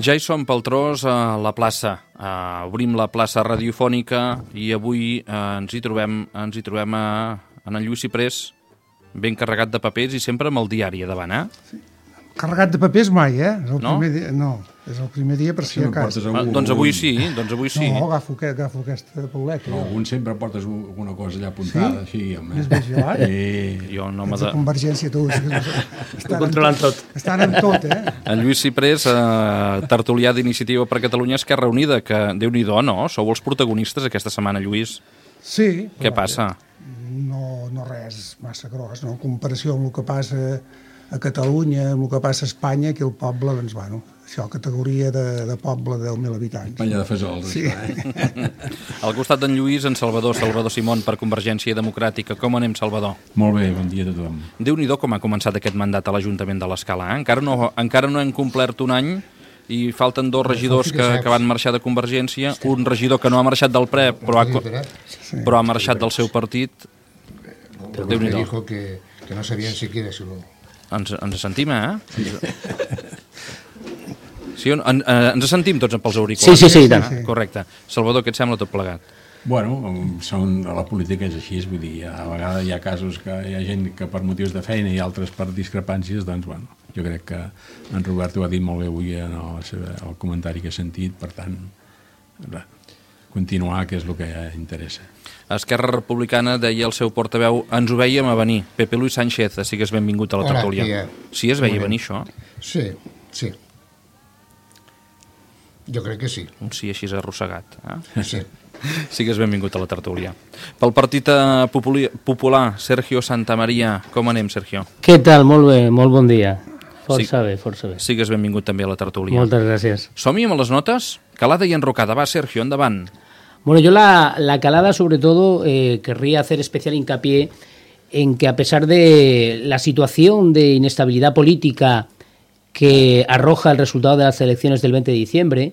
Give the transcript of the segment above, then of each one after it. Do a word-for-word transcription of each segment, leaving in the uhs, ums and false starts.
Ja hi som pel tros a la plaça. Uh, obrim la plaça radiofònica i avui uh, ens hi trobem, ens hi trobem a, en el Lluís Ciprés, ben carregat de papers i sempre amb el diari a davant, eh? Sí. Carregat de papers mai, eh? És el no? Primer dia, no, és el primer dia per si a cas. Ah, doncs avui sí, doncs avui sí. No, agafo, agafo aquesta pauleta. No, algun sempre portes alguna cosa allà apuntada, sí? així, home. Més vigilant? Sí. Jo no m'ha de... Convergència, tu. Estan controlant tot. Estan en tot, eh? En Lluís Ciprés, eh, tertulià d'Iniciativa per Catalunya Esquerra Unida, que Déu-n'hi-do, no? Sou els protagonistes aquesta setmana, Lluís. Sí. Què passa? No, no res massa gros, no? En comparació amb el que passa a Catalunya, amb el que passa a Espanya, aquí el poble, doncs, bueno, això, categoria de, de poble de deu mil habitants. Palla de fesols, sí. això, eh? Al costat d'en Lluís, en Salvador, Salvador Simón, per Convergència Democràtica. Com anem, Salvador? Molt bé, bon dia a tothom. Déu-n'hi-do com ha començat aquest mandat a l'Ajuntament de l'Escala, eh? Encara no, encara no hem complert un any i falten dos regidors que, que van marxar de Convergència, un regidor que no ha marxat del P R E, però ha, però ha marxat del seu partit. Déu-n'hi-do. Dijo que, que no sabien siquiera si lo... Ens, ens sentim, eh? Sí, sí en, en, ens sentim tots pels auriculars? Sí, sí, sí, tant. Correcte. Salvador, què et sembla tot plegat? Bueno, són, la política és així, vull dir, a vegades hi ha casos que hi ha gent que per motius de feina i altres per discrepàncies, doncs, bueno, jo crec que en Roberto ho ha dit molt bé avui en el, el comentari que he sentit, per tant, continuar, que és el que interessa. Esquerra Republicana, deia el seu portaveu, ens ho vèiem a venir. Pepe Luis Sánchez, sigues benvingut a la tertúlia. Sí, es veia venir això? Sí, sí. Jo crec que sí. Un sí així arrossegat. Eh? Sí. Sigues benvingut a la tertúlia. Pel Partit Popular, Sergio Santamaría. Com anem, Sergio? Què tal? Molt bé, molt bon dia. Força sí. bé, força bé. Sigues benvingut també a la tertúlia. Moltes gràcies. Som-hi amb les notes? Calada i enrocada. Va, Sergio, endavant. Bueno, yo la, la calada, sobre todo, eh, querría hacer especial hincapié en que a pesar de la situación de inestabilidad política que arroja el resultado de las elecciones del veinte de diciembre,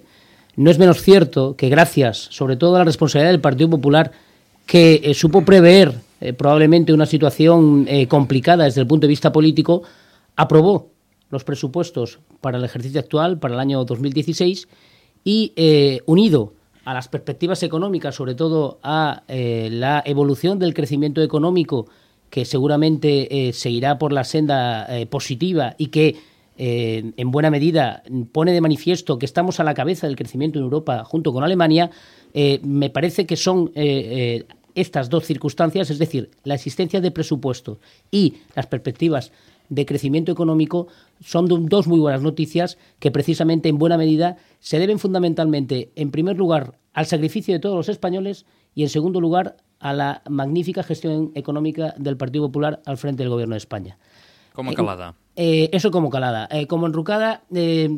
no es menos cierto que gracias, sobre todo a la responsabilidad del Partido Popular, que eh, supo prever eh, probablemente una situación eh, complicada desde el punto de vista político, aprobó los presupuestos para el ejercicio actual, para el año dos mil dieciséis, y eh, unido a las perspectivas económicas, sobre todo a eh, la evolución del crecimiento económico, que seguramente eh, seguirá por la senda eh, positiva y que eh, en buena medida pone de manifiesto que estamos a la cabeza del crecimiento en Europa junto con Alemania, eh, me parece que son eh, eh, estas dos circunstancias, es decir, la existencia de presupuesto y las perspectivas de crecimiento económico, son dos muy buenas noticias que precisamente en buena medida se deben fundamentalmente, en primer lugar, al sacrificio de todos los españoles y en segundo lugar a la magnífica gestión económica del Partido Popular al frente del Gobierno de España. Como calada. Eh, eh, eso como calada. Eh, como enrucada eh,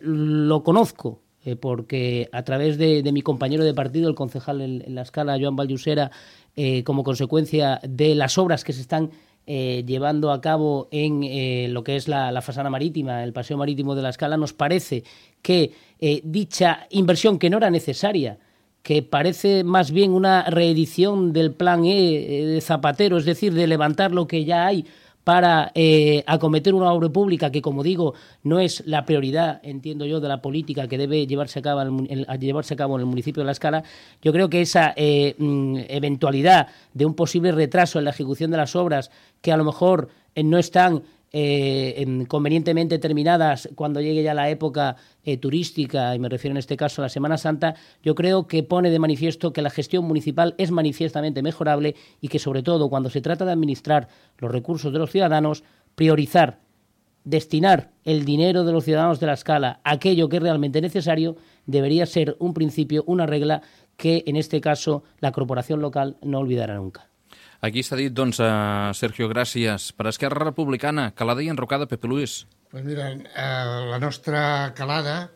lo conozco eh, porque a través de, de mi compañero de partido, el concejal en, en la Escala, Joan Vallusera, eh, como consecuencia de las obras que se están Eh, llevando a cabo en eh, lo que es la, la fasana marítima, el paseo marítimo de la Escala, nos parece que eh, dicha inversión, que no era necesaria, que parece más bien una reedición del plan E de Zapatero, es decir, de levantar lo que ya hay para eh, acometer una obra pública que, como digo, no es la prioridad, entiendo yo, de la política que debe llevarse a cabo en el, a llevarse a cabo en el municipio de La Escala. Yo creo que esa eh, eventualidad de un posible retraso en la ejecución de las obras, que a lo mejor eh, no están eh, convenientemente terminadas cuando llegue ya la época eh, turística, y me refiero en este caso a la Semana Santa, yo creo que pone de manifiesto que la gestión municipal es manifiestamente mejorable y que, sobre todo, cuando se trata de administrar los recursos de los ciudadanos, priorizar, destinar el dinero de los ciudadanos de La Escala a aquello que es realmente necesario, debería ser un principio, una regla que, en este caso, la corporación local no olvidará nunca. Aquí s'ha dit, doncs, uh, Sergio, gràcies. Per Esquerra Republicana, calada i enrocada, Pepe Luis. Pues mira, eh, la nostra calada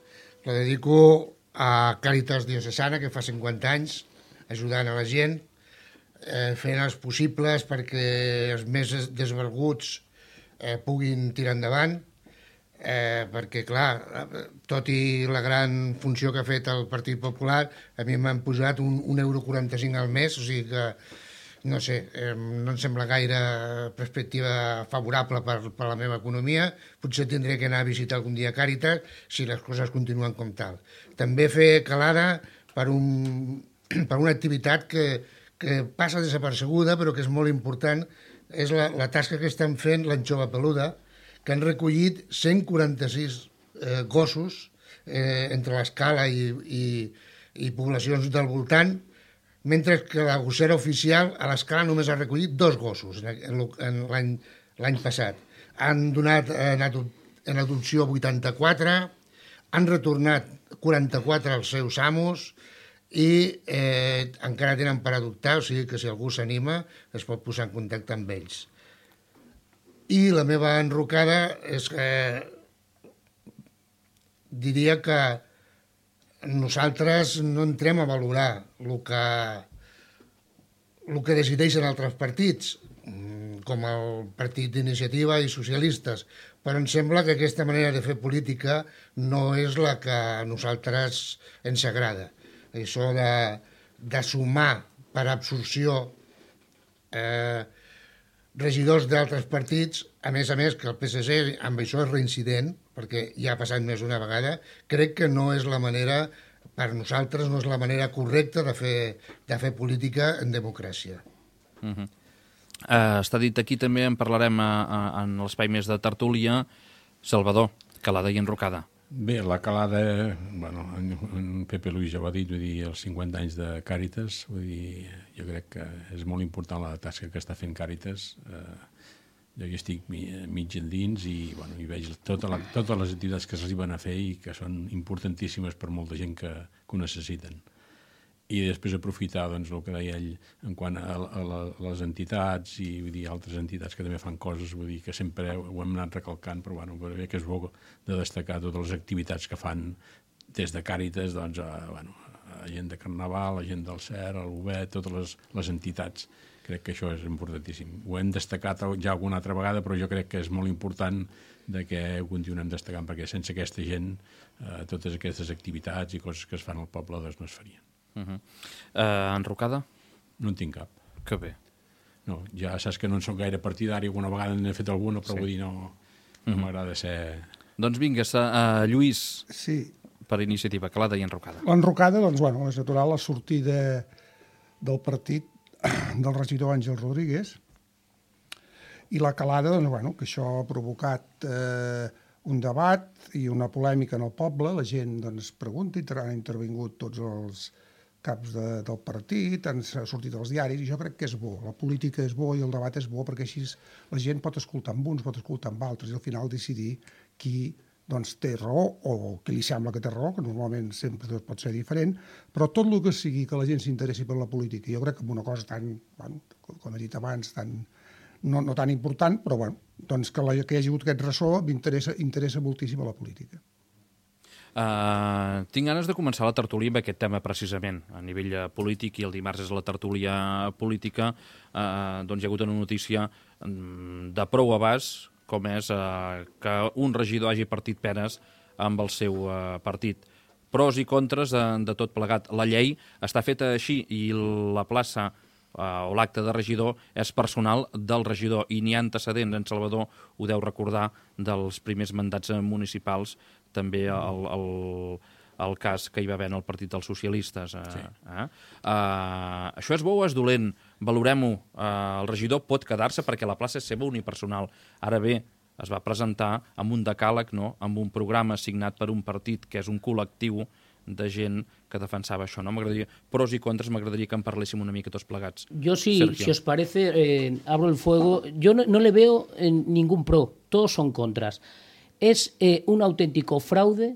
la dedico a Càritas Diocesana, que fa cinquanta anys, ajudant a la gent, eh, fent els possibles perquè els més desvalguts eh, puguin tirar endavant. eh, perquè, clar, tot i la gran funció que ha fet el Partit Popular, a mi m'han posat un, un euro quaranta-cinc al mes, o sigui que, no sé, eh, no em sembla gaire perspectiva favorable per, per la meva economia. Potser tindré que anar a visitar algun dia Càritas si les coses continuen com tal. També fer calada per, un, per una activitat que, que passa desapercebuda, però que és molt important, és la, la tasca que estan fent l'Anxova Peluda, que han recollit cent quaranta-sis eh, gossos eh, entre l'Escala i, i, i poblacions del voltant, mentre que la gossera oficial a l'Escala només ha recollit dos gossos en, en l'any passat. Han donat en, en adopció vuitanta-quatre, han retornat quaranta-quatre als seus amos i eh, encara tenen per adoptar, o sigui que si algú s'anima es pot posar en contacte amb ells. I la meva enrocada és que diria que nosaltres no entrem a valorar el que, el que decideixen altres partits, com el Partit d'Iniciativa i Socialistes, però em sembla que aquesta manera de fer política no és la que a nosaltres ens agrada. Això de, de sumar per absorció eh, regidors d'altres partits, a més a més que el P S C amb això és reincident, perquè ja ha passat més d'una vegada, crec que no és la manera, per nosaltres no és la manera correcta de fer, de fer política en democràcia. Uh-huh. uh, està dit aquí, també en parlarem a, a, en l'espai més de tertúlia. Salvador, calada i enrocada. Bé, la calada, bueno, en, en Pepe Luis ja ho ha dit, vull dir, els cinquanta anys de Càritas, vull dir, jo crec que és molt important la tasca que està fent Càritas. Eh, jo hi estic mig endins i, bueno, i veig tota la, totes les activitats que s'hi van a fer i que són importantíssimes per molta gent que, que ho necessiten. I després aprofitar, doncs, el que deia ell en quant a, a, a les entitats i, vull dir, altres entitats que també fan coses, vull dir, que sempre ho hem anat recalcant, però, bueno, però bé que és bo de destacar totes les activitats que fan des de Càritas, doncs, a, bueno, a gent de Carnaval, a gent del C E R, a l'U B E, totes les, les entitats. Crec que això és importantíssim. Ho hem destacat ja alguna altra vegada, però jo crec que és molt important de que ho continuem destacant, perquè sense aquesta gent, eh, totes aquestes activitats i coses que es fan al poble, doncs no es farien. Uh-huh. uh, enrocada? No en tinc cap. Que bé. No, ja saps que no en soc gaire partidari, alguna vegada n'he fet alguna, però sí. Vull dir, no, no uh-huh. m'agrada ser... Doncs vinga, uh, Lluís, sí. Per iniciativa, calada i enrocada. L'enrocada, doncs, bueno, és natural la sortida del partit del regidor Àngel Rodríguez, i la calada, doncs, bueno, que això ha provocat eh, un debat i una polèmica en el poble, la gent doncs, pregunta i han intervingut tots els caps de, del partit, han sortit als diaris, i jo crec que és bo. La política és bo i el debat és bo, perquè així la gent pot escoltar amb uns, pot escoltar amb altres, i al final decidir qui doncs, té raó o qui li sembla que té raó, que normalment sempre pot ser diferent, però tot el que sigui que la gent s'interessi per la política, jo crec que amb una cosa tan, bueno, com he dit abans, tan, no, no tan important, però bueno, doncs que, la, que hi hagi hagut aquest ressò m'interessa interessa moltíssim a la política. Uh, tinc ganes de començar la tertúlia amb aquest tema precisament, a nivell polític, i el dimarts és la tertúlia política. Uh, doncs hi ha hagut una notícia um, de prou abast, com és uh, que un regidor hagi partit penes amb el seu uh, partit. Pros i contres de, de tot plegat. La llei està feta així i la plaça uh, o l'acte de regidor és personal del regidor, i n'hi ha antecedents. En Salvador ho deu recordar dels primers mandats municipals, també el, el, el cas que hi va haver en el Partit dels Socialistes. Eh? Sí. Eh? Uh, això és bo o és dolent? Valorem-ho. Uh, el regidor pot quedar-se perquè la plaça és seva unipersonal. Ara bé, es va presentar amb un decàleg, no? Amb un programa signat per un partit que és un col·lectiu de gent que defensava això. No? M'agradaria, pros i contres, m'agradaria que en parléssim una mica tots plegats. Yo sí, Sergio. Si os parece, eh, abro el fuego. Yo no, no le veo eh, ningún pro, todos son contras. Es eh, un auténtico fraude,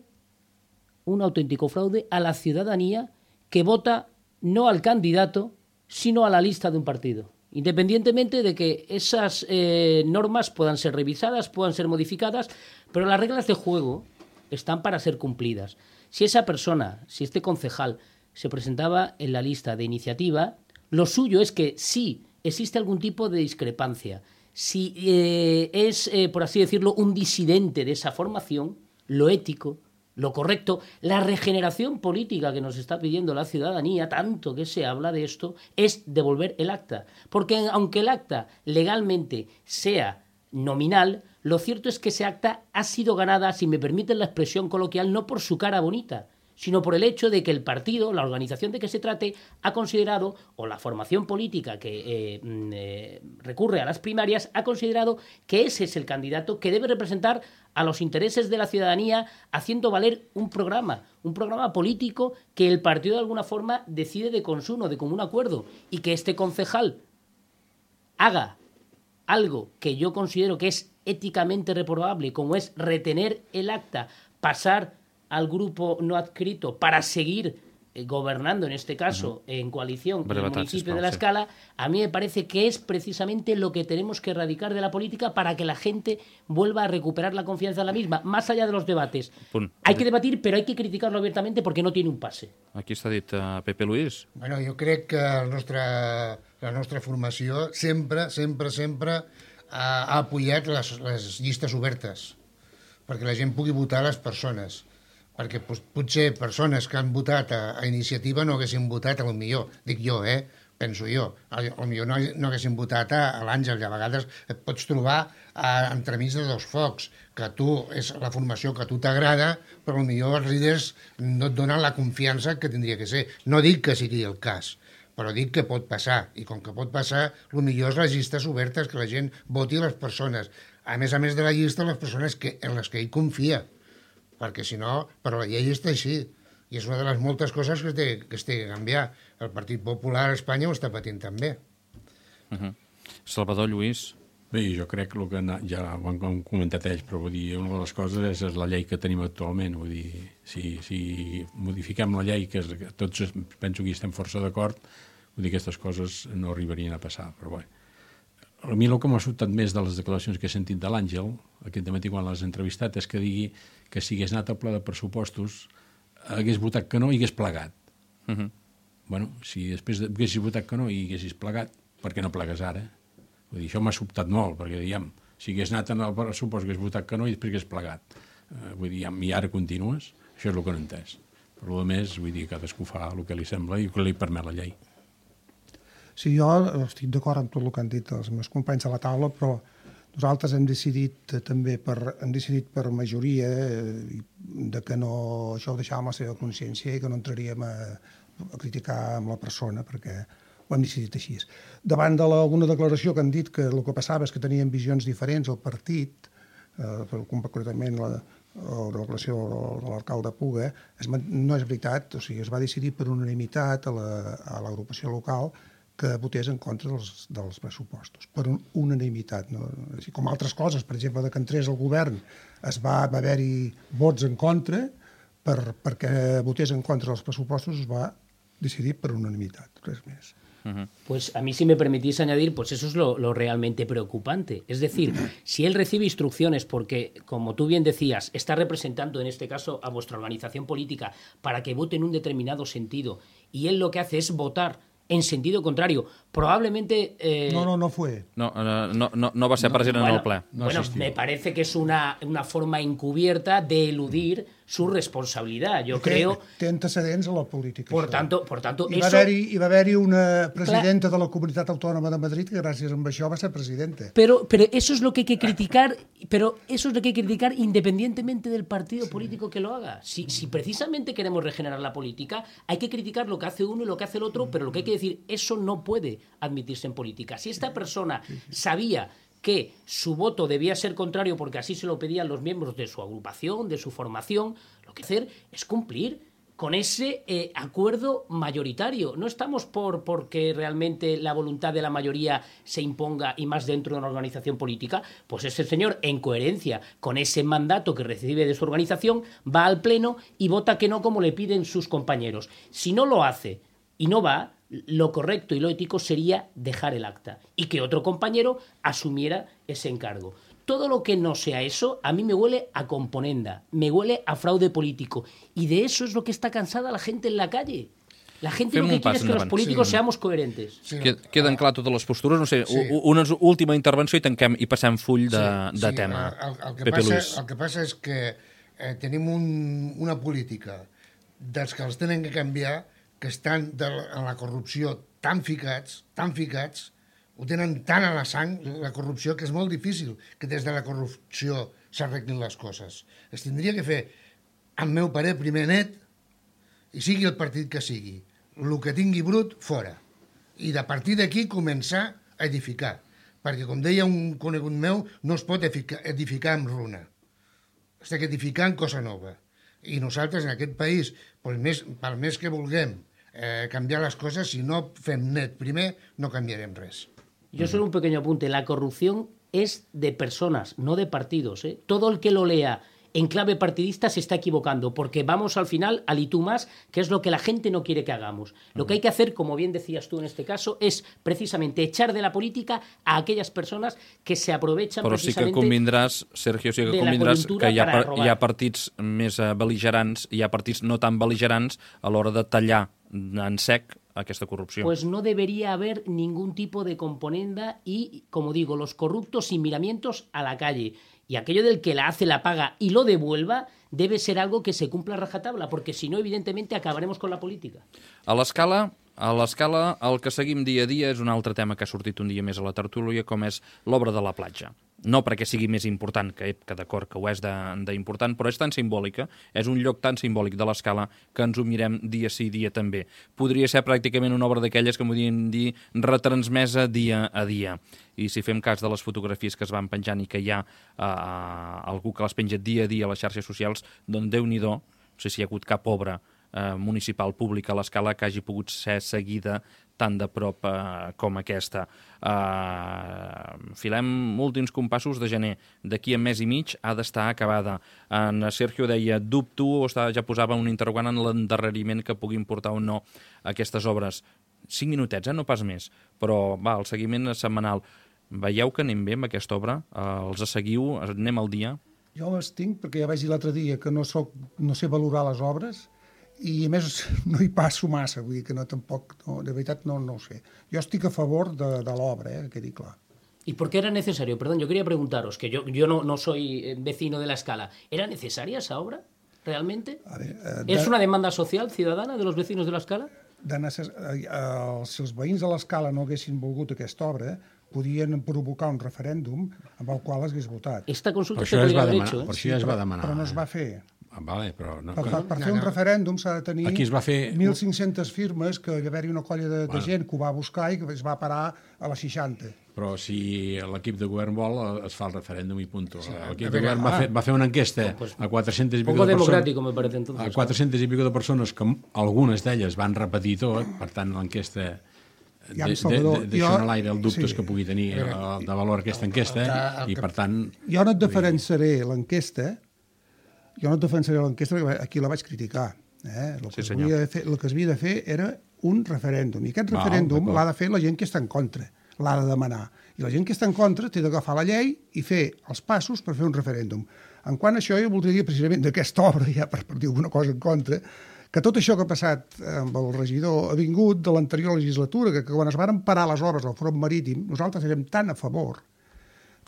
un auténtico fraude a la ciudadanía que vota no al candidato, sino a la lista de un partido. Independientemente de que esas eh, normas puedan ser revisadas, puedan ser modificadas, pero las reglas de juego están para ser cumplidas. Si esa persona, si este concejal se presentaba en la lista de iniciativa, lo suyo es que sí existe algún tipo de discrepancia, si eh, es, eh, por así decirlo, un disidente de esa formación, lo ético, lo correcto, la regeneración política que nos está pidiendo la ciudadanía, tanto que se habla de esto, es devolver el acta. Porque aunque el acta legalmente sea nominal, lo cierto es que ese acta ha sido ganada, si me permiten la expresión coloquial, no por su cara bonita, sino por el hecho de que el partido, la organización de que se trate, ha considerado, o la formación política que eh, eh, recurre a las primarias, ha considerado que ese es el candidato que debe representar a los intereses de la ciudadanía, haciendo valer un programa, un programa político que el partido de alguna forma decide de consumo, de común acuerdo, y que este concejal haga algo que yo considero que es éticamente reprobable, como es retener el acta, pasar al grupo no adscrito para seguir eh, gobernando, en este caso, uh-huh. en coalición con el municipio de La Escala, a mí me parece que es precisamente lo que tenemos que erradicar de la política para que la gente vuelva a recuperar la confianza en la misma, más allá de los debates. Punt. Hay que debatir, però hay que criticarlo abiertamente porque no tiene un pase. Aquí està dit uh, Pepe Luis. Bueno, jo crec que el nostre, la nostra formació sempre, sempre, sempre ha, ha apoyat les, les llistes obertes perquè la gent pugui votar les persones. Perquè potser persones que han votat a, a Iniciativa no haguessin votat, a lo millor, dic jo, eh? penso jo, a lo millor no, no haguessin votat a, a l'Àngel, i a vegades et pots trobar a, entremig de dos focs, que tu és la formació que a tu t'agrada, però a lo millor els líders no et donen la confiança que tindria que ser. No dic que sigui el cas, però dic que pot passar, i com que pot passar, el millor és les llistes obertes, que la gent voti les persones. A més a més de la llista, les persones que, en les que ell confia, perquè si no, però la llei està així, i és una de les moltes coses que es té que, es té que canviar. El Partit Popular a Espanya ho està patint també. Uh-huh. Salvador, Lluís? Bé, jo crec que, el que ja ho han comentat ells, però vull dir, una de les coses és, és la llei que tenim actualment. Vull dir, si, si modifiquem la llei, que, és, que tots penso que hi estem força d'acord, vull dir, aquestes coses no arribarien a passar, però bé. A mi el que m'ha sobtat més de les declaracions que he sentit de l'Àngel, aquest matí quan l'has entrevistat, és que digui que si hagués anat al pla de pressupostos hagués votat que no i hagués plegat. Uh-huh. Bueno, si després haguessis votat que no i haguessis plegat, per què no plegues ara? Vull dir, això m'ha sobtat molt, perquè diguem, si hagués anat al pressupost hagués votat que no i després hagués plegat. Uh, vull dir, i ara continues? Això és el que no he entès. Per a més, vull dir, cadascú fa el que li sembla i el que li permet la llei. Sí, jo estic d'acord amb tot el que han dit els meus companys a la taula, però nosaltres hem decidit també per, hem decidit per majoria eh, de que no, això ho deixàvem a la seva consciència i que no entraríem a, a criticar amb la persona, perquè ho hem decidit així. Davant d'alguna declaració que han dit que el que passava és que tenien visions diferents al partit, eh, concretament la, la declaració de l'alcalde Puga, es, no és veritat, o sigui, es va decidir per unanimitat a l'agrupació local que votés en contra dels, dels pressupostos, per unanimitat. No? Així com altres coses, per exemple, de que entrés el govern, es va, va haver-hi vots en contra, per, perquè votés en contra dels pressupostos es va decidir per unanimitat, res més. Uh-huh. Pues a mí, si me permitís añadir, pues eso es lo, lo realmente preocupante. Es decir, si él recibe instrucciones porque, como tú bien decías, está representando en este caso a vuestra organización política para que vote en un determinado sentido, y él lo que hace es votar en sentido contrario, probablemente... Eh... No, no, no fue. No, no, no, no va ser present no, bueno, en el ple. No bueno, me parece que es una, una forma encubierta de eludir su responsabilidad. Yo que creo... Té antecedents a la política. Por tanto, por tanto hi, va eso... haver-hi, hi va haver-hi una presidenta Clar. de la Comunitat Autònoma de Madrid que gràcies a això va ser presidenta. Pero, pero eso es lo que hay que criticar, pero eso es lo que hay que criticar independientemente del partido sí. político que lo haga. Si, si precisamente queremos regenerar la política, hay que criticar lo que hace uno y lo que hace el otro, mm. pero lo que hay que decir, eso no puede admitirse en política. Si esta persona sí, sí. sabía que su voto debía ser contrario porque así se lo pedían los miembros de su agrupación, de su formación, lo que hacer es cumplir con ese eh, acuerdo mayoritario. No estamos por porque realmente la voluntad de la mayoría se imponga, y más dentro de una organización política. Pues ese señor, en coherencia con ese mandato que recibe de su organización, va al pleno y vota que no como le piden sus compañeros. Si no lo hace y no va, lo correcto y lo ético sería dejar el acta y que otro compañero asumiera ese encargo. Todo lo que no sea eso, a mí me huele a componenda, me huele a fraude político. Y de eso es lo que está cansada la gente en la calle. La gente lo que quiere es que los políticos sí. seamos coherentes. Sí. Queden clar totes les postures. No sé, sí. una última intervenció i tanquem i passem full de, sí. de sí. tema. El, el, que Pepe passa, Luis. El que passa és que eh, tenim un, una política dels que els tenen que canviar, que estan de, en la corrupció tan ficats, tan ficats, ho tenen tant a la sang, la corrupció, que és molt difícil que des de la corrupció s'arreglin les coses. Es tindria que fer, al meu parer, primer net, i sigui el partit que sigui. El que tingui brut, fora. I de partir d'aquí començar a edificar. Perquè, com deia un conegut meu, no es pot edificar amb runa. S'ha edificar en cosa nova. I nosaltres, en aquest país, pel més, pel més que vulguem eh, canviar les coses, si no fem net primer, no canviarem res. Yo solo un pequeño apunte. La corrupción es de personas, no de partidos, ¿eh? Todo el que lo lea en clave partidista se está equivocando, porque vamos al final al y tú más, que es lo que la gente no quiere que hagamos. Lo que hay que hacer, como bien decías tú en este caso, es precisamente echar de la política a aquelles persones que se aprovechan Però precisamente... Però sí que convindràs, Sergio, sí que convindràs que hi ha, hi ha partits més bel·ligerants i hi ha partits no tan bel·ligerants a l'hora de tallar en sec aquesta corrupció. Pues no debería haber ningún tipo de componenda y, como digo, los corruptos sin miramientos a la calle. Y aquello del que la hace, la paga y lo devuelva debe ser algo que se cumpla a rajatabla, porque si no, evidentemente, acabaremos con la política. A l'escala, a l'escala, el que seguim dia a dia és un altre tema que ha sortit un dia més a la tertúlia, com és l'obra de la platja. No perquè sigui més important, que, que d'acord que ho és d'important, però és tan simbòlica, és un lloc tan simbòlic de l'escala que ens ho mirem dia sí, dia també. Podria ser pràcticament una obra d'aquelles que podríem dir retransmesa dia a dia. I si fem cas de les fotografies que es van penjant i que hi ha eh, algú que les penja dia a dia a les xarxes socials, doncs Déu-n'hi-do, no sé si hi ha hagut cap obra eh, municipal pública a l'escala que hagi pogut ser seguida tan de prop eh, com aquesta. Eh, filem últims compassos de gener. D'aquí a mes i mig ha d'estar acabada. En Sergio deia, dubto, o està, ja posava un interrogant en l'endarreriment que puguin portar o no aquestes obres. Cinc minutets, eh? No pas més. Però, va, el seguiment és setmanal. Veieu que anem bé amb aquesta obra? Eh, els seguiu? Anem al dia? Jo m'estinc perquè ja vaig dir l'altre dia que no, soc, no sé valorar les obres i a més no hi passo massa, vull dir que no tampoc, no, de veritat no, no ho sé. Jo estic a favor de, de l'obra, eh, que quedi clar. ¿Y por qué era necesario? Perdón, yo quería preguntaros, que yo, yo no, no soy vecino de la Escala. ¿Era necesaria esa obra, realmente? A ver, eh, ¿Es de... una demanda social, ciudadana, de los vecinos de la Escala? De necess... eh, eh, si els veïns de l'Escala no haguessin volgut aquesta obra, podien provocar un referèndum amb el qual es hagués votat. Esta consulta se podria haver hecho, eh? Per això ja es va demanar. Però no es va fer. Ah, vale, però no, per, per, per fer un referèndum s'ha de tenir fer... mil cinc-centes firmes, que hi va haver-hi una colla de, bueno. de gent que ho va buscar i que es va parar a les seixanta. Però si l'equip de govern vol, es fa el referèndum i punto. Sí, l'equip de govern va fer, va fer una enquesta pues, a quatre-centes i pico de persones, me parece, entonces, a quatre-centes i pico de persones, que algunes d'elles van repetir tot, per tant l'enquesta de, de, de, deixant a l'aire els dubtes sí. que pugui tenir el, de valor aquesta enquesta, el, el, el, i per tant... Jo no et diferenciaré l'enquesta, jo no et defensaré l'enquesta perquè aquí la vaig criticar. Eh? El, que sí, fer, el que es havia de fer era un referèndum. I aquest referèndum l'ha de fer la gent que està en contra, l'ha de demanar. I la gent que està en contra té d'agafar la llei i fer els passos per fer un referèndum. En quant a això, jo voldria dir precisament d'aquesta obra, ja per, per dir alguna cosa en contra, que tot això que ha passat amb el regidor ha vingut de l'anterior legislatura, que, que quan es van parar les obres al front marítim, nosaltres érem tan a favor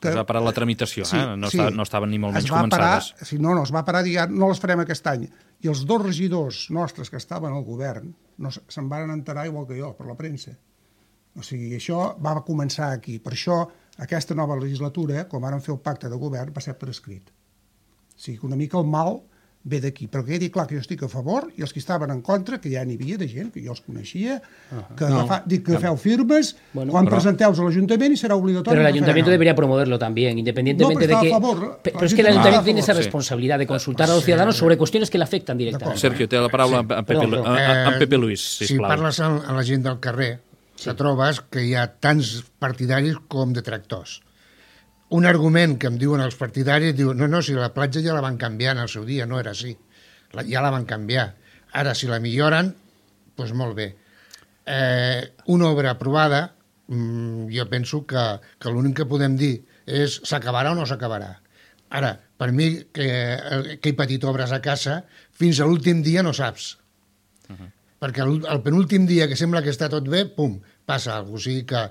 que... Es va parar la tramitació, sí, eh? no, sí. Estava, no estaven ni molt menys començades. Parar, sí, no, no, es va parar, dir, no les farem aquest any. I els dos regidors nostres que estaven al govern no, se'n van enterar igual que jo, per la premsa. O sigui, això va començar aquí. Per això, aquesta nova legislatura, quan van fer el pacte de govern, va ser per escrit. O sigui, una mica el mal ve d'aquí, però quedi clar que jo estic a favor i els que estaven en contra, que ja n'hi havia de gent, que jo els coneixia, que, no, fa, dic que feu firmes, bueno, quan però... presenteu a l'Ajuntament i serà obligatori. Pero el Ayuntamiento no. debería promoverlo también, independientemente no, de que... Favor, pero es que el Ayuntamiento tiene esa responsabilidad de consultar sí. a los ciudadanos sobre cuestiones que le afectan directamente. Sergio, té la paraula sí. a, Pepe, no, a, a, a Pepe Luis, sisplau. Si parles a la gent del carrer, sí. te trobes que hi ha tants partidaris com detractors. Un argument que em diuen els partidaris, diu, no, no, si la platja ja la van canviar en el seu dia, no era així. La, ja la van canviar. Ara, si la milloren, doncs molt bé. Eh, una obra aprovada, mmm, jo penso que, que l'únic que podem dir és s'acabarà o no s'acabarà. Ara, per mi, que, que he patit obres a casa, fins a l'últim dia no saps. Uh-huh. perquè el, el penúltim dia que sembla que està tot bé, pum, passa alguna cosa. O sigui que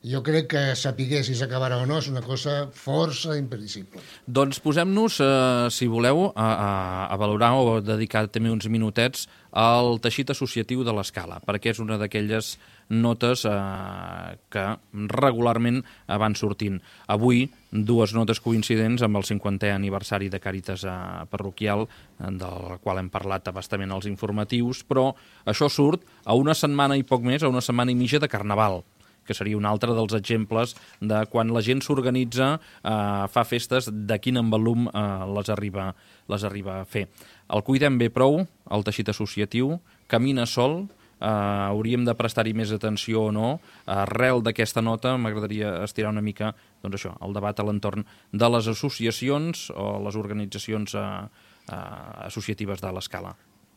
jo crec que sapiguer si s'acabarà o no és una cosa força impredicible. Doncs posem-nos, eh, si voleu, a, a, a valorar o dedicar també uns minutets al teixit associatiu de l'Escala, perquè és una d'aquelles notes eh, que regularment van sortint. Avui, dues notes coincidents amb el cinquantè aniversari de Càritas eh, parroquial, eh, del qual hem parlat abastament als informatius, però això surt a una setmana i poc més, a una setmana i mitja de Carnaval, que seria un altre dels exemples de quan la gent s'organitza, eh, fa festes, de quin envolum eh, les, arriba, les arriba a fer. El cuidem bé prou, el teixit associatiu, camina sol, eh, hauríem de prestar-hi més atenció o no. Arrel d'aquesta nota m'agradaria estirar una mica doncs això, el debat a l'entorn de les associacions o les organitzacions eh, eh, associatives de l'Escala.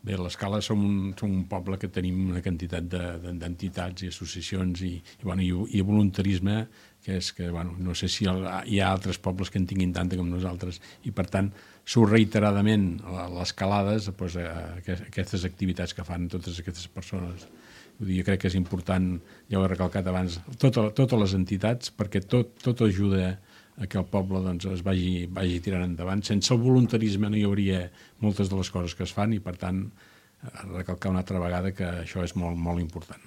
Bé, a l'Escala som un, som un poble que tenim una quantitat d'entitats i associacions i, i, bueno, i, i voluntarisme, que és que, bueno, no sé si el, hi ha altres pobles que en tinguin tanta com nosaltres, i per tant surt reiteradament a les calades doncs, a, a aquestes activitats que fan totes aquestes persones. Vull dir, jo crec que és important, ja ho he recalcat abans, tota, totes les entitats, perquè tot, tot ajuda a que el poble doncs, es vagi, vagi tirant endavant. Sense el voluntarisme no hi hauria moltes de les coses que es fan i, per tant, recalcar una altra vegada que això es molt, molt important.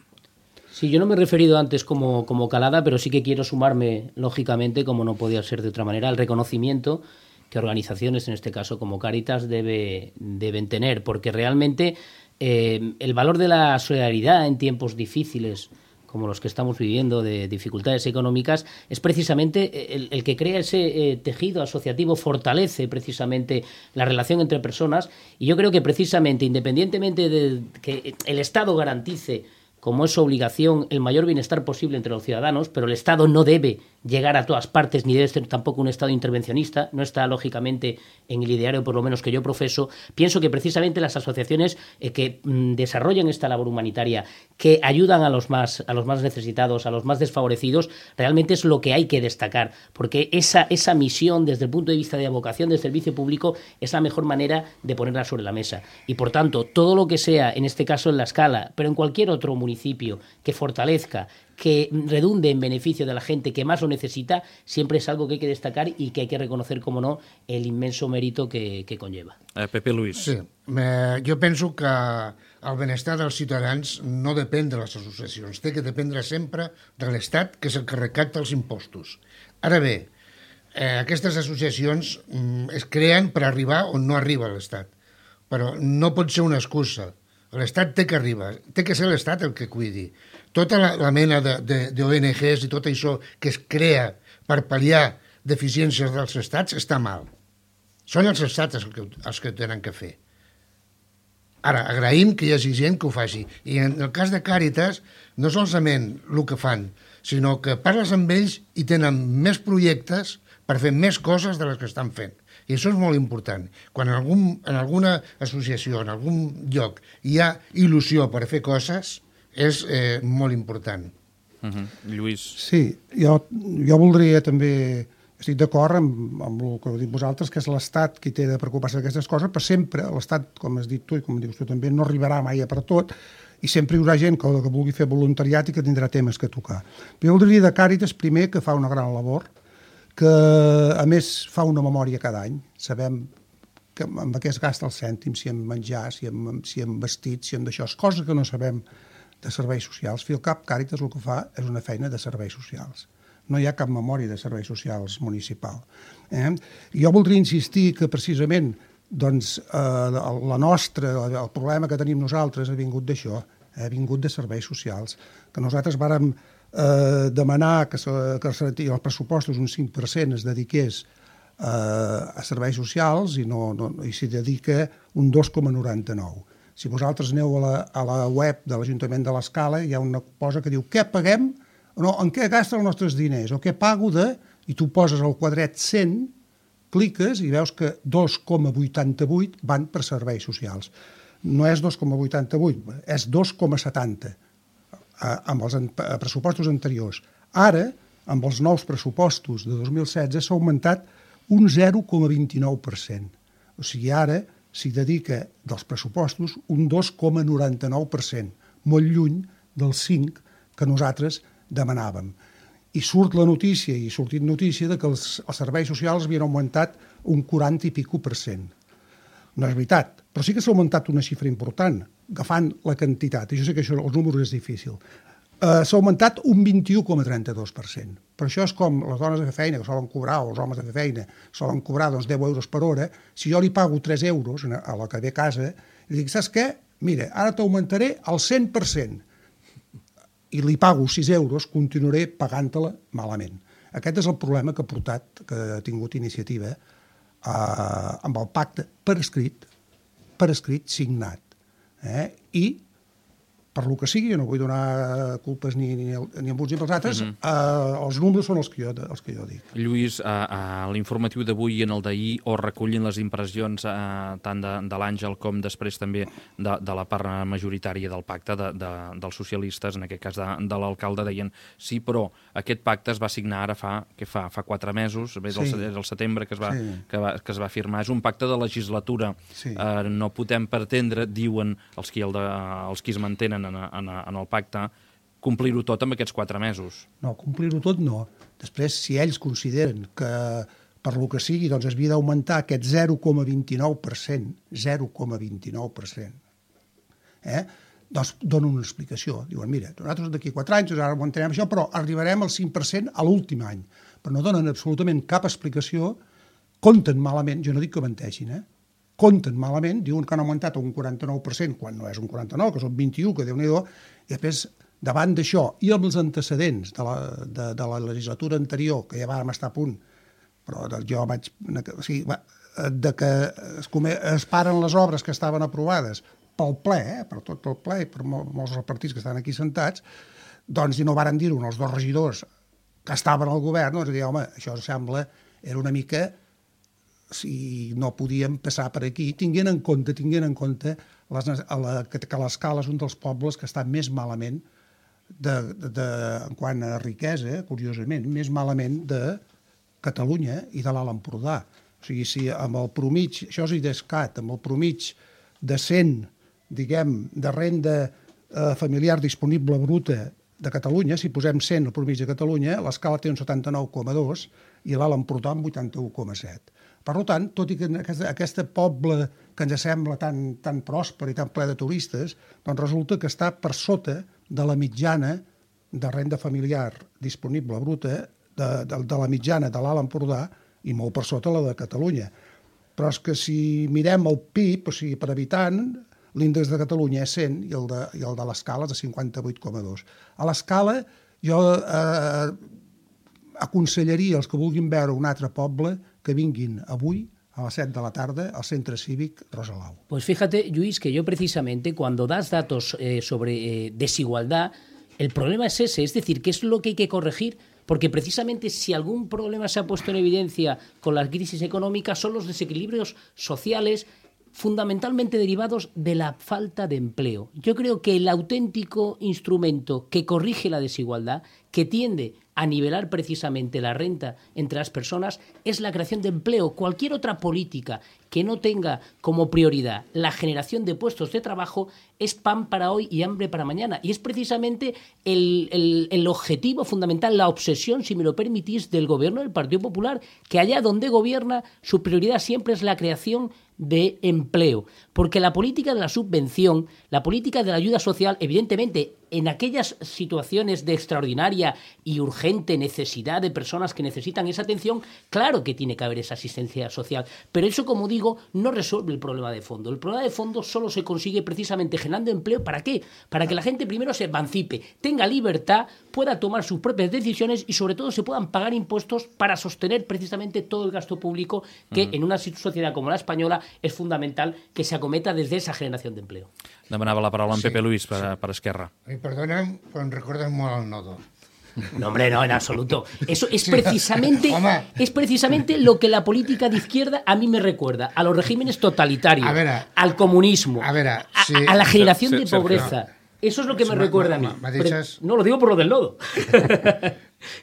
Sí, yo no me he referido antes como, como calada, pero sí que quiero sumarme, lógicamente, como no podía ser de otra manera, al reconocimiento que organizaciones, en este caso como Càritas, debe, deben tener, porque realmente eh, el valor de la solidaridad en tiempos difíciles, como los que estamos viviendo, de dificultades económicas, es precisamente el, el que crea ese eh, tejido asociativo, fortalece precisamente la relación entre personas, y yo creo que precisamente, independientemente de que el Estado garantice, como es su obligación, el mayor bienestar posible entre los ciudadanos, pero el Estado no debe llegar a todas partes, ni debe ser tampoco un Estado intervencionista, no está lógicamente en el ideario, por lo menos que yo profeso. Pienso que precisamente las asociaciones eh, que mm, desarrollan esta labor humanitaria, que ayudan a los más a los más necesitados, a los más desfavorecidos, realmente es lo que hay que destacar, porque esa, esa misión, desde el punto de vista de vocación del servicio público, es la mejor manera de ponerla sobre la mesa. Y por tanto, todo lo que sea, en este caso en la Escala, pero en cualquier otro municipio, que fortalezca, que redunde en beneficio de la gente que más lo necesita, siempre es algo que hay que destacar y que hay que reconocer, como no, el inmenso mérito que, que conlleva. Eh, Pepe Luis. Sí, eh, jo penso que el benestar dels ciutadans no depèn de les associacions, té que dependre sempre de l'Estat, que és el que recapta els impostos. Ara bé, eh, aquestes associacions mm, es creen per arribar on no arriba l'Estat, però no pot ser una excusa. L'Estat té que arribar, té que ser l'Estat el que cuidi. Tota la, la mena d'O N Ges i tot això que es crea per pal·liar deficiències dels estats està mal. Són els estats els que, els que tenen que fer. Ara, agraïm que hi hagi gent que ho faci. I en el cas de Càritas, no solament el que fan, sinó que parles amb ells i tenen més projectes per fer més coses de les que estan fent. I això és molt important. Quan en, algun, en alguna associació, en algun lloc, hi ha il·lusió per fer coses, és eh, molt important. Uh-huh. Lluís. Sí, jo, jo voldria també... Estic d'acord amb, amb el que heu dit vosaltres, que és l'Estat qui té de preocupar-se d'aquestes coses, però sempre l'Estat, com has dit tu i com dius tu també, no arribarà mai a per tot, i sempre hi haurà gent que, que vulgui fer voluntariat i que tindrà temes que tocar. Jo voldria de Càritas, primer, que fa una gran labor, que a més fa una memòria cada any. Sabem que amb què es gasta el cèntim, si en menjar, si en, si en vestit, si en d'això, coses que no sabem de serveis socials. Al cap, Càritas el que fa és una feina de serveis socials. No hi ha cap memòria de serveis socials municipal. Eh? Jo voldria insistir que precisament doncs, eh, la nostra, el problema que tenim nosaltres ha vingut d'això, ha vingut de serveis socials, que nosaltres vàrem eh, demanar que, que els pressupostos un cinc per cent es dediqués eh, a serveis socials i, no, no, i s'hi dedica un dos coma noranta-nou. Si vosaltres aneu a la, a la web de l'Ajuntament de l'Escala, hi ha una cosa que diu què paguem, no, en què gasten els nostres diners, o què pago de, i tu poses el quadret cent, cliques i veus que dos coma vuitanta-vuit van per serveis socials. No és dos coma vuitanta-vuit, és dos coma setanta, amb els pressupostos anteriors. Ara, amb els nous pressupostos de dos mil setze, s'ha augmentat un zero coma vint-i-nou per cent. O sigui, ara s'hi dedica dels pressupostos un dos coma noranta-nou per cent, molt lluny del cinc que nosaltres demanàvem. I surt la notícia, i ha sortit notícia, de que els, els serveis socials havien augmentat un quaranta i pico per cent. No és veritat, però sí que s'ha augmentat una xifra important, agafant la quantitat, i jo sé que això, els números és difícil. Uh, s'ha augmentat un vint-i-u coma trenta-dos per cent. Per això és com les dones de fer feina, que solen cobrar, o els homes de fer feina, solen cobrar doncs, deu euros per hora. Si jo li pago tres euros a la que ve a casa, li dic, saps què? Mira, ara t'augmentaré el cent per cent. I li pago sis euros, continuaré pagant-te-la malament. Aquest és el problema que ha portat, que ha tingut iniciativa, uh, amb el pacte per escrit, per escrit signat. Eh? I per lo que sigui, jo no vull donar culpes ni, ni, ni amb uns ni pels altres, uh-huh. eh, els números són els que jo, els que jo dic. Lluís, a, a l'informatiu d'avui i en el d'ahir o recullin les impressions eh, tant de, de l'Àngel com després també de, de la part majoritària del pacte de, de, dels socialistes, en aquest cas de, de l'alcalde, deien sí, però aquest pacte es va signar ara fa, què fa, fa quatre mesos, bé, sí. el, el setembre que es, va, sí. que, va, que es va firmar. És un pacte de legislatura. Sí. Eh, no podem pretendre, diuen els qui, el de, els qui es mantenen En, en, en el pacte, complir-ho tot en aquests quatre mesos. No, complir-ho tot no. Després, si ells consideren que per lo que sigui doncs es havia d'augmentar aquest zero coma vint-i-nou per cent, zero coma vint-i-nou per cent, eh? doncs donen una explicació. Diuen, mira, nosaltres d'aquí quatre anys ara augmentarem això, però arribarem al cinc per cent a l'últim any. Però no donen absolutament cap explicació, compten malament, jo no dic que menteixin, eh? compten malament, diuen que han augmentat un quaranta-nou per cent, quan no és un quaranta-nou, que són vint-i-u, que Déu-n'hi-do, i després, davant d'això, i amb els antecedents de la, de, de la legislatura anterior, que ja vam estar a punt, però jo vaig... O sigui, de que es, come, es paren les obres que estaven aprovades pel ple, eh, per tot el ple, per molts dels partits que estan aquí sentats, doncs, i no varen dir-ho els dos regidors que estaven al govern, doncs, dir, home, això sembla, era una mica... si no podíem passar per aquí, tinguent en compte, tinguent en compte les, a la, que, que l'Escala és un dels pobles que està més malament de, de, de, en quant a riquesa, curiosament, més malament de Catalunya i de l'Alt Empordà. O sigui, si amb el promig, això és IDESCAT, amb el promig de cent, diguem, de renda eh, familiar disponible bruta de Catalunya, si posem cent al promig de Catalunya, l'Escala té un setanta-nou coma dos i l'Alt Empordà un vuitanta-u coma set. Per tant, tot i que aquest, aquest poble que ens sembla tan, tan pròsper i tan ple de turistes, doncs resulta que està per sota de la mitjana de renda familiar disponible bruta, de, de, de la mitjana de l'Alt Empordà i molt per sota la de Catalunya. Però és que si mirem el P I B, o sigui, per habitant, l'índex de Catalunya és cent i el de, i el de l'Escala és de cinquanta-vuit coma dos. A l'Escala jo eh, aconsellaria als que vulguin veure un altre poble que vinguin avui a las siete de la tarde al Centro Cívic Rosalau. Pues fíjate, Lluís, que yo precisamente cuando das datos eh, sobre eh, desigualdad, el problema es ese, es decir, ¿qué es lo que hay que corregir? Porque precisamente si algún problema se ha puesto en evidencia con la crisis económica son los desequilibrios sociales fundamentalmente derivados de la falta de empleo. Yo creo que el auténtico instrumento que corrige la desigualdad, que tiende a nivelar precisamente la renta entre las personas, es la creación de empleo. Cualquier otra política que no tenga como prioridad la generación de puestos de trabajo es pan para hoy y hambre para mañana. Y es precisamente el, el, el objetivo fundamental, la obsesión, si me lo permitís, del gobierno del Partido Popular, que allá donde gobierna su prioridad siempre es la creación de empleo. Porque la política de la subvención, la política de la ayuda social, evidentemente, en aquellas situaciones de extraordinaria y urgente necesidad de personas que necesitan esa atención, claro que tiene que haber esa asistencia social. Pero eso, como digo, no resuelve el problema de fondo. El problema de fondo solo se consigue precisamente generando empleo. ¿Para qué? Para que la gente primero se emancipe, tenga libertad, pueda tomar sus propias decisiones y sobre todo se puedan pagar impuestos para sostener precisamente todo el gasto público que uh-huh. en una sociedad como la española es fundamental que se acometa desde esa generación de empleo. Demanava la paraula en sí, Pepe Luis per, sí. per Esquerra. I perdona'm, però em recordes molt el nodo. No, hombre, no, en absoluto. Eso es precisamente, es precisamente lo que la política de izquierda a mí me recuerda, a los regímenes totalitarios, a ver, al comunismo, a, ver, sí, a, a la generación sí, de sí, pobreza. No. Eso es lo que me sí, recuerda no, a mí. no, deixes... No, lo digo por lo del lodo.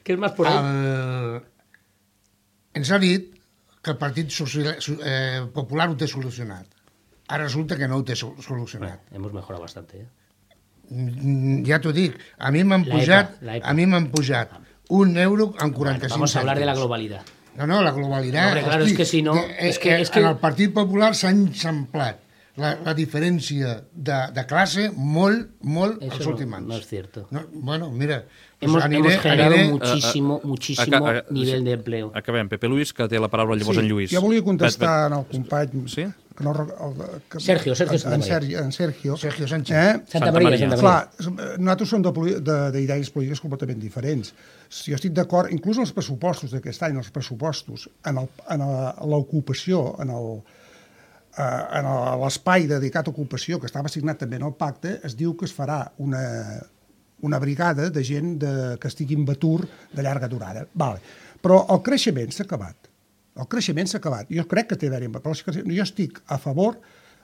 Que es más por ahí. El... Ens ha dit que el Partit Social... eh, Popular ho té solucionat. ara resulta que no ho té solucionat. Bueno, hemos mejorado bastante, ¿eh? Ja t'ho dic, a mi m'han pujat, a mi m'han pujat un euro amb quaranta-cinc Vamos a hablar de la globalidad. No, no, la globalitat... Hombre, claro, hosti, es que si no... Que, es que, que es que... En el Partit Popular s'ha enxamplat la, la diferència de, de classe molt, molt Eso als últims no, anys. no es cierto. No, bueno, mira... Hemos, aniré, hemos generado aniré... muchísimo, muchísimo Aca- a- nivel de empleo. Acabem. Pepe Luis, que té la paraula llavors Sí, en Lluís. jo volia contestar Pet, al company... Sí? Que no, rec- el, que, Sergio, Sergio en, Santamaría. en, Sergio, en Sergio. Sergio Sánchez. Eh? Santa, Santa Maria, Maria. Santa Maria. Clar, nosaltres som de poli- de- d'idees polítiques completament diferents. Si jo estic d'acord, inclús els pressupostos d'aquest any, els pressupostos, en el- en el- l'ocupació, en el eh, en el- l'espai dedicat a ocupació, que estava assignat també en el pacte, es diu que es farà una, una brigada de gent de, que estigui en atur de llarga durada. Vale. Però el creixement s'ha acabat. El creixement s'ha acabat. Jo crec que té d'haver-hi, però jo estic a favor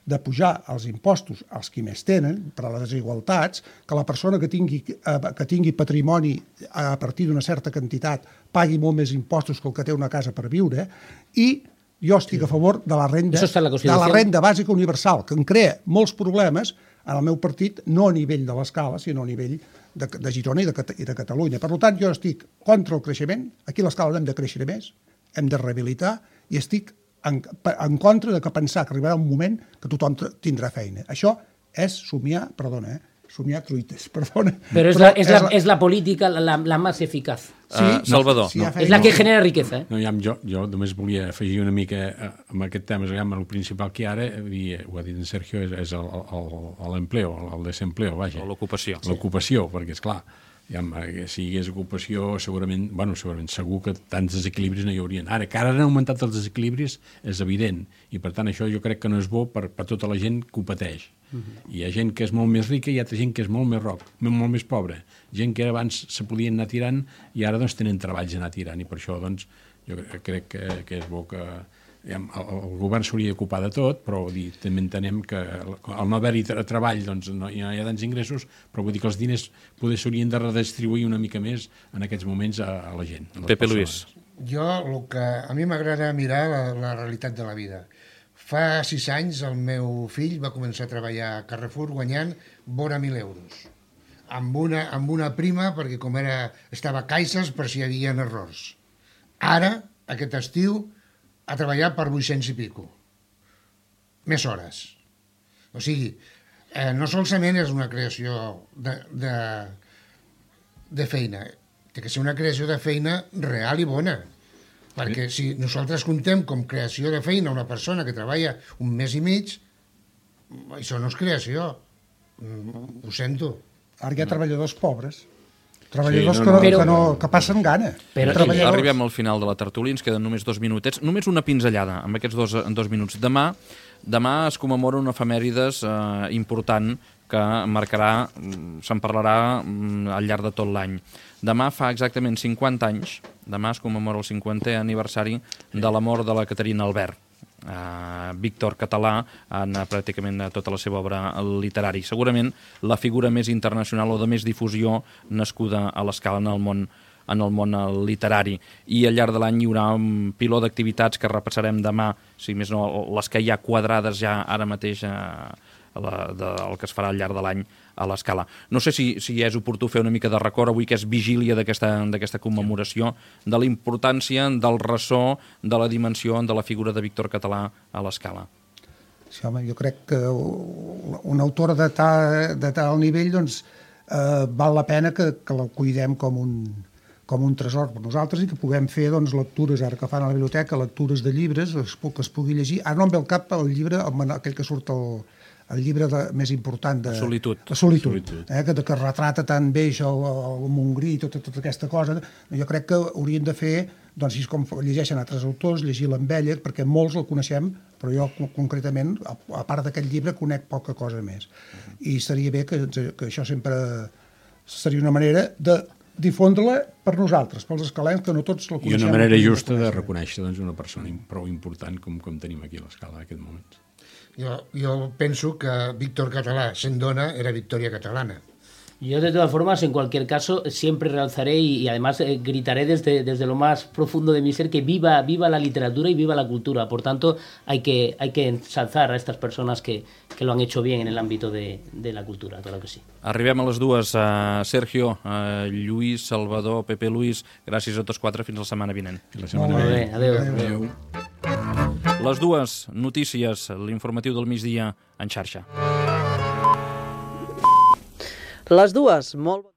de pujar els impostos als qui més tenen, per a les desigualtats, que la persona que tingui, eh, que tingui patrimoni a partir d'una certa quantitat pagui molt més impostos que el que té una casa per viure, i jo estic a favor de la renda, Eso está en la de Constitución. la renda bàsica universal, que em crea molts problemes en el meu partit, no a nivell de l'escala, sinó a nivell de, de Girona i de, Cata- i de Catalunya. Per tant, jo estic contra el creixement, aquí a l'escala no hem de créixer més, hem de rehabilitar, i estic en, en contra de que pensar que arribarà un moment que tothom t- tindrà feina. Això és somiar, perdona, eh? somiar truites, perdona. Pero es, Però la, es, la, es la política la, la más eficaz. Sí, Ah, Salvador. sí, hi ha Es feina. la que genera riqueza, ¿eh? No, ja, jo, jo només volia afegir una mica eh, amb aquest tema, amb el principal que ara, i ho ha dit en Sergio, és, és el- el- l'empleo, el, el desempleo, vaja. O l'ocupació. L'ocupació, perquè, és clar, ja, si hi hagués ocupació, segurament, bueno, segurament, segur que tants desequilibris no hi haurien. Ara, que ara han augmentat els desequilibris, és evident, i per tant això jo crec que no és bo per, per tota la gent que ho pateix. Uh-huh. Hi ha gent que és molt més rica i hi ha altra gent que és molt més roc, molt més pobra. Gent que abans se podien anar tirant i ara doncs tenen treballs a anar tirant, i per això doncs jo crec que, que és bo que ja, el, el govern s'hauria d'ocupar de tot, però dir, també entenem que al no haver-hi tra treball doncs no hi ha, hi ha tants ingressos, però vull dir que els diners poder s'haurien de redistribuir una mica més en aquests moments a, a la gent. A les Pepe persones. Luis. Jo, el que a mi m'agrada mirar la, la realitat de la vida. Fa sis anys el meu fill va començar a treballar a Carrefour guanyant vora mil euros. Amb una, amb una prima, perquè com era, estava a caixes per si hi havia errors. Ara, aquest estiu, ha treballat per vuit-cents i pico. Més hores. O sigui, eh, no solament és una creació de, de, de feina, té que ser una creació de feina real i bona. Perquè si nosaltres contem com creació de feina una persona que treballa un mes i mig, això no és creació. Ho sento. Ara hi ha treballadors pobres, treballadors Sí, sí, no, no, no, que, no, però- que, no, que passen gana. Però- treballadors... Arribem al final de la tertúlia, ens queden només dos minutets. Només una pinzellada amb aquests dos, en dos minuts. Demà, demà es commemora una efemèrides eh, important que marcarà, mm, se'n parlarà mm, al llarg de tot l'any. Demà fa exactament cinquanta anys, demà es commemora el cinquantè aniversari de la mort de la Caterina Albert. Uh, Víctor Català en uh, pràcticament uh, tota la seva obra literària. Segurament la figura més internacional o de més difusió nascuda a l'escala en el món en el món uh, literari. I al llarg de l'any hi haurà un piló d'activitats que repassarem demà, si més no, les que hi ha quadrades ja ara mateix uh, la, de, el que es farà al llarg de l'any a l'escala. No sé si, si és oportú fer una mica de record avui, que és vigília d'aquesta commemoració, de la importància, del ressò, de la dimensió de la figura de Víctor Català a l'escala. Sí, home, jo crec que una autora de tal, de tal nivell, doncs, eh, val la pena que, que la cuidem com un, com un tresor per nosaltres i que puguem fer doncs, lectures, ara que fan a la biblioteca, lectures de llibres, que es pugui llegir. Ara no em ve al cap el llibre, el, aquell que surt el, el llibre de, més important de Solitud. de Solitud, Solitud. Eh, que, que retrata tan bé això, el, el Montgrí i tota, tota aquesta cosa. Jo crec que haurien de fer, doncs, així com llegeixen altres autors, llegir-la amb ella, perquè molts el coneixem, però jo concretament, a, a part d'aquest llibre, conec poca cosa més. I seria bé que, que això sempre seria una manera de difondre-la per nosaltres, pels escalens, que no tots la I coneixem. una manera justa de reconèixer doncs, una persona prou important com, com tenim aquí a l'escala en aquest moment. Jo, jo penso que Víctor Català, sent dona, era Victòria Catalana. Yo, de todas formas, en cualquier caso, siempre realzaré y, y además eh, gritaré desde, desde lo más profundo de mi ser que viva, viva la literatura y viva la cultura. Por tanto, hay que, hay que ensalzar a estas personas que, que lo han hecho bien en el ámbito de, de la cultura, claro que sí. Arribem a les dues. Uh, Sergio, uh, Lluís, Salvador, Pepe Luis, gràcies a tots quatre, fins la setmana vinent. La setmana vinent. Adéu. Adéu. Les dues notícies, l'informatiu del migdia en xarxa. Les dues, molt...